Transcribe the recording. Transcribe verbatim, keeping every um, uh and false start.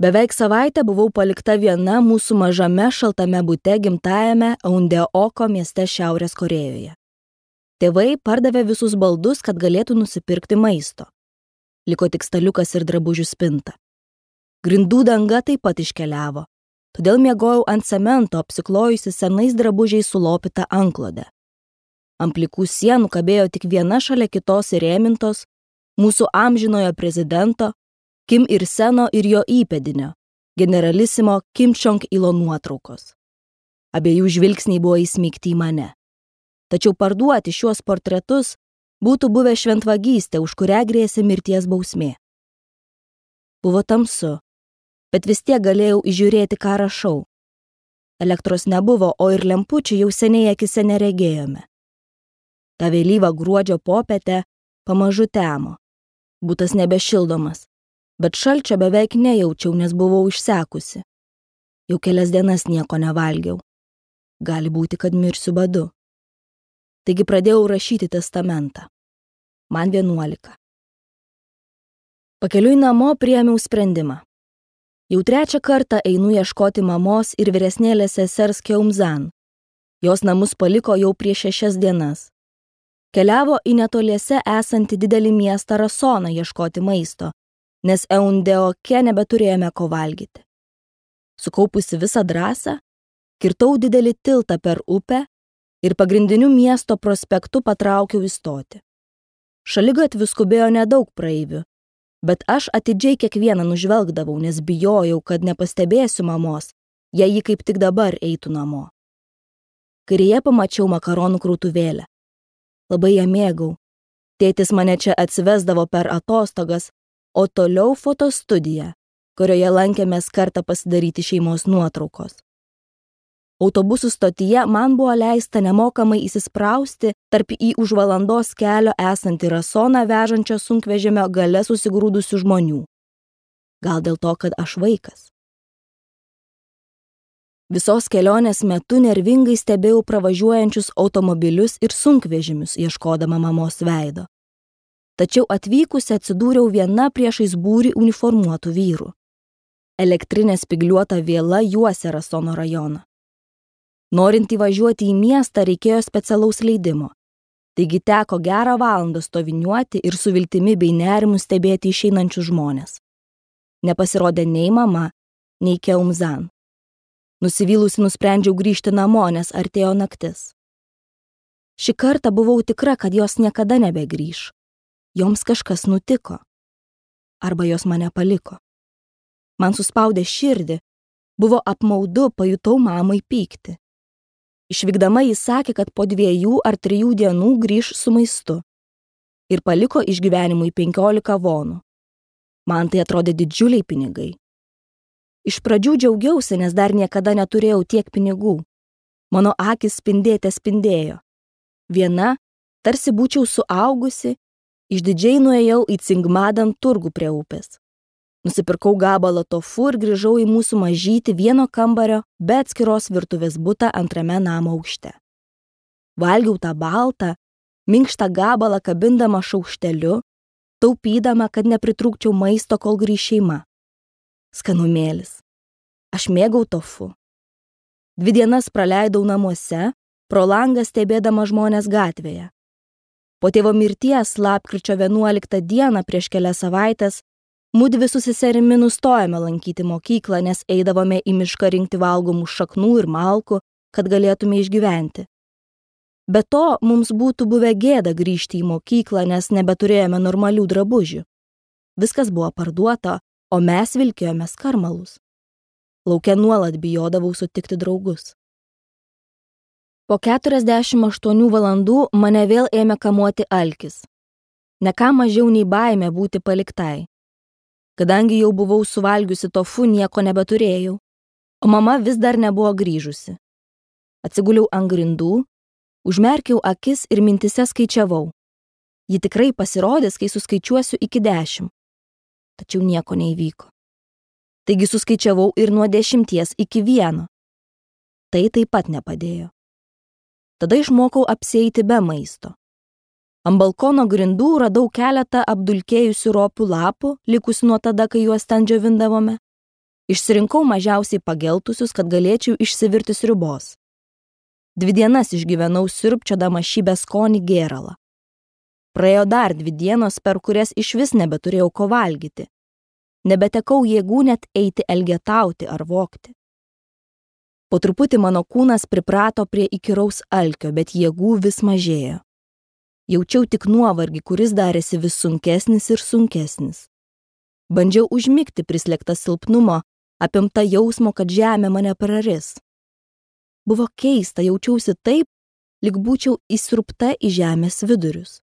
Beveik savaitę buvau palikta viena mūsų mažame šaltame bute gimtajame Aundeoko mieste Šiaurės Korėjoje. Tėvai pardavė visus baldus, kad galėtų nusipirkti maisto. Liko tik staliukas ir drabužių spinta. Grindų danga taip pat iškeliavo, todėl miegojau ant cemento, apsiklojusi senais drabužiais sulopytą antklodę. Ant plikų sienų kabėjo tik viena šalia kitos įrėmintos mūsų amžinojo prezidento Kim Ir-seno ir jo įpėdinio, generalisimo Kim Čong-ilo nuotraukos. Abiejų žvilgsniai buvo įsmeigti į mane. Tačiau parduoti šiuos portretus būtų buvę šventvagystė, už kurią grėsė mirties bausmė. Buvo tamsu, bet vis tiek galėjau įžiūrėti, ką rašau. Elektros nebuvo, o ir lempučių jau seniai akise neregėjome. Ta vėlyva gruodžio popietė pamažu temo. Butas nebešildomas, bet šalčio beveik nejaučiau, nes buvau išsekusi. Jau kelias dienas nieko nevalgiau. Gali būti, kad mirsiu badu. Taigi pradėjau rašyti testamentą. Man vienuolika. Pakeliui namo priėmiau sprendimą. Jau trečią kartą einu ieškoti mamos ir vyresnėlės sesers Keumzan. Jos namus paliko jau prieš šešias dienas. Keliavo į netoliese esantį didelį miestą Rasoną ieškoti maisto, nes Aundeoke nebeturėjome ko valgyti. Sukaupusi visą drąsą, kirtau didelį tiltą per upę ir pagrindiniu miesto prospektu patraukiau į stotį. Šaligatviu skubėjo nedaug praeivių, bet aš atidžiai kiekvieną nužvelgdavau, nes bijojau, kad nepastebėsiu mamos, jei ji kaip tik dabar eitų namo. Kairėje pamačiau makaronų krautuvėlę. Labai ją mėgau. Tėtis mane čia atsivesdavo per atostogas, o toliau fotostudija, kurioje lankėmės kartą pasidaryti šeimos nuotraukos. Autobusų stotyje man buvo leista nemokamai įsisprausti tarp į už valandos kelio esantį Rasoną vežančio sunkvežimio gale susigrūdusių žmonių. Gal dėl to, kad aš vaikas. Visos kelionės metu nervingai stebėjau pravažiuojančius automobilius ir sunkvežimius, ieškodama mamos veido. Tačiau atvykusi atsidūriau viena priešais būrį uniformuotų vyrų. Elektrinė spygliuota viela juosė Rasono rajoną. Norint įvažiuoti į miestą reikėjo specialaus leidimo, taigi teko gerą valandą stoviniuoti ir su viltimi bei nerimu stebėti išeinančius žmonės. Nepasirodė nei mama, nei Keumzan. Nusivylusi nusprendžiau grįžti namo, nes artėjo naktis. Šį kartą buvau tikra, kad jos niekada nebegrįš. Joms kažkas nutiko. Arba jos mane paliko. Man suspaudė širdį, buvo apmaudu, pajutau mamai pykti. Išvykdama jis sakė, kad po dviejų ar trijų dienų grįš su maistu ir paliko išgyvenimui penkiolika vonų. Man tai atrodė didžiuliai pinigai. Iš pradžių džiaugiausi, nes dar niekada neturėjau tiek pinigų. Mano akis spindėte spindėjo. Viena, tarsi būčiau suaugusi, išdidžiai nuėjau į Cingmadan turgų prie upės. Nusipirkau gabalą tofu ir grįžau į mūsų mažytį vieno kambario, be atskiros virtuvės butą antrame namo aukšte. Valgiau tą baltą, minkštą gabalą kabindama šaukšteliu, taupydama, kad nepritrūkčiau maisto, kol grįš šeima. Skanumėlis. Aš mėgau tofu. Dvi dienas praleidau namuose, pro langą stebėdama žmonės gatvėje. Po tėvo mirties lapkričio vienuoliktą dieną prieš kelias savaitės mudvi su seserimi nustojame lankyti mokyklą, nes eidavome į mišką rinkti valgomų šaknų ir malkų, kad galėtume išgyventi. Be to, mums būtų buvę gėda grįžti į mokyklą, nes nebeturėjome normalių drabužių. Viskas buvo parduota, o mes vilkėjome skarmalus. Lauke nuolat bijodavau sutikti draugus. Po keturiasdešimt aštuonių valandų mane vėl ėmė kamuoti alkis. Ne ką mažiau nei baimė būti paliktai. Kadangi jau buvau suvalgiusi tofu, nieko nebeturėjau, o mama vis dar nebuvo grįžusi. Atsiguliau ant grindų, užmerkiau akis ir mintise skaičiavau. Ji tikrai pasirodys, kai suskaičiuosiu iki dešimt. Tačiau nieko neįvyko. Taigi suskaičiavau ir nuo dešimties iki vieno. Tai taip pat nepadėjo. Tada išmokau apsieiti be maisto. Ant balkono grindų radau keletą apdulkėjusių ropių lapų, likusių nuo tada, kai juos ten džiovindavome. Išsirinkau mažiausiai pageltusius, kad galėčiau išsivirti sriubos. Dvi dienas išgyvenau siurbčiodama šį beskonį gėralą. Praėjo dar dvi dienos, per kurias išvis nebeturėjau ko valgyti. Nebetekau jėgų net eiti elgetauti ar vogti. Po truputį mano kūnas priprato prie įkyraus alkio, bet jėgų vis mažėjo. Jaučiau tik nuovargį, kuris darėsi vis sunkesnis ir sunkesnis. Bandžiau užmigti prislėgtą silpnumo, apimta jausmo, kad žemė mane praris. Buvo keista, jaučiausi taip, lyg būčiau įsrupta į žemės vidurius.